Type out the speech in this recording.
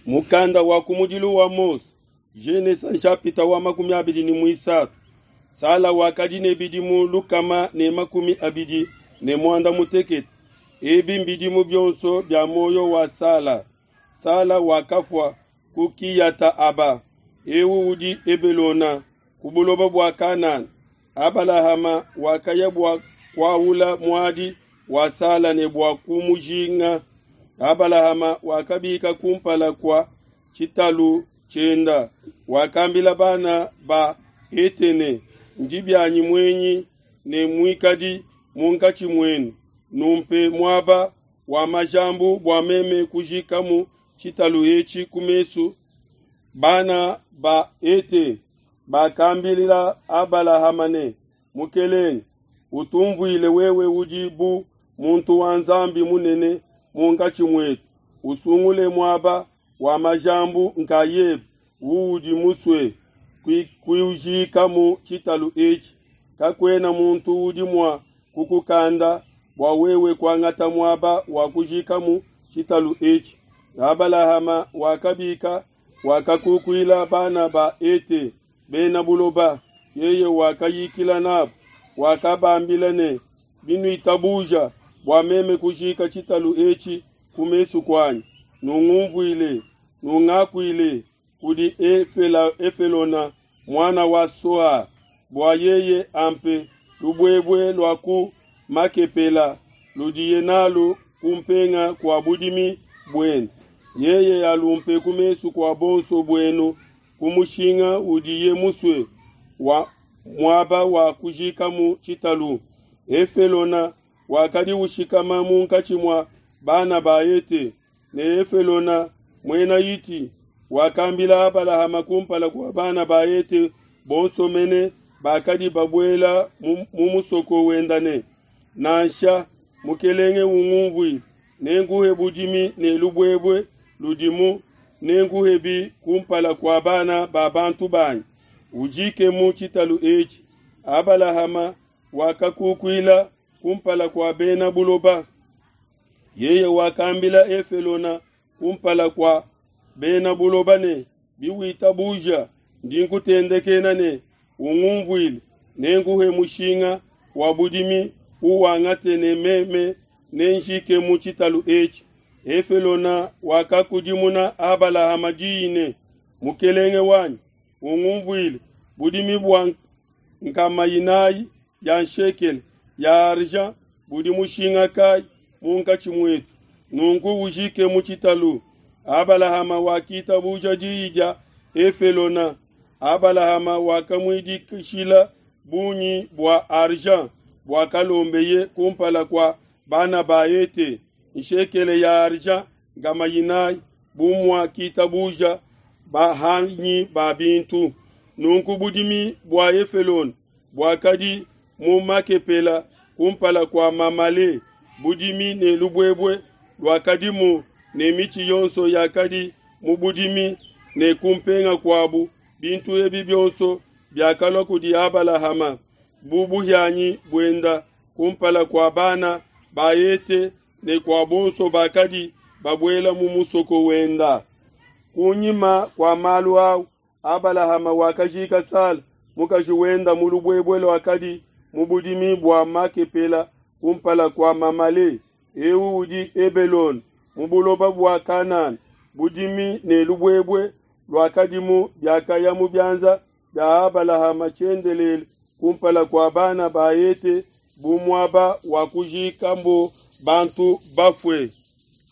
Mukanda wa kumudilu wa Mose, Genesa nshapita wa 23. Sala wakadi ne bidimu 128. Ebi mbidimu bionso bia muoyo wa Sala. Sala wakafua ku Kiyata-aba, eu udi Hebelona, ku buloba bua Kanana. Abalahama wakaya bua kuaula muadi wa Sala ne bua kumujinga. Abalahama wakabika kumpala kua tshitalu tshienda, wakambila bana ba Hete ne, Ndi bianyi muenyi ne muikadi munkatshi muenu, numpe muaba wa majambu bua meme kujikamu tshitalu etshi ku mesu. Bana ba Hete bakambila Abalahama ne, Mukelenge, utumvuile wewe udi bu muntu wa Nzambi munene munkatshi muetu, usungule muaba wa majambu nkayebe uudi musue kujikamu tshitalu etshi. Kakuena muntu udi mua kukukanda bua wewe kuangata muaba wa kujikamu tshitalu etshi. Abalahama wakabika, wakakukuila bana ba Hete bena buloba. Yeye wakayikila nabo, wakabambila ne, Binuitabuja bua meme kujika tshitalu etshi ku mesu kuanyi, nungumvuile, nungakuile kudi Efelona muana wa Soha, bua yeye ampe lubuebue lua ku Makepela ludiye nalu kumpenga kua budimi buende. Yeye alumpe ku mesu kua bonso buenu ku mushinga udiye musue wa muaba wa kujikamu tshitalu. Efelona wakadi ushikama munkatshi mua bana ba Hete, ne Efelona muena Hiti wakambila Abalahama kumpala kua bana ba Hete bonso mene bakadi babuela mu musoko wenda ne, Nansha, mukelenge ungumvuile, nenkuhe budimi ne lubuebue ludimu, nenkuhebi kumpala kua bana ba bantu banyi, ujikemu tshitalu etshi. Abalahama wakakukuila kumpala kua bena buloba. Yeye wakambila Efelona kumpala kua bena buloba ne, Biwitabuja, ndi nkutendekena ne, ungumvuile, nenkuhe mushinga wa budimi uwangate ne meme nenjikemu tshitalu etshi. Efelona wakakudimuna Abalahama diyi ne, Mukelenge wanyi, ungumvuile, budimi bua 400 ya nshekele ya argent budi mushinga kayi munkatshi muetu? Nunku ujikemu tshitalu. Abalahama wakitabuja diyi dia Efelona. Abalahama wakamuidikishila bungi bua argent buakalombeye kumpala kua bana ba Hete, nshekele ya argent 400, bu muakitabuja bahanyi ba bintu. Nunku budimi bua Efelona buakadi mu Makepela kumpala kua Mamale, budimi ne lubuebue luakadimu ne mitshi yonso yakadi mu budimi ne kumpenga kuabu, bintu ebi bionso biakalua kudi Abalahama bu buhianyi buenda kumpala kua bana ba Hete ne kua bonso bakadi babuela mu musoko wenda. Kunyima kua malu au, Abalahama wakajika Sala mukaji wenda mu lubuebue luakadi mu budimi bua Makepela kumpala kua Mamale, eu udi Hebelone, mu buloba bua Kanana. Budimi ne lubuebue luakadimu biakaya mu bianza bia Abalahama tshiendelele kumpala kua bana ba Hete bu muaba wa kujikambo bantu bafue.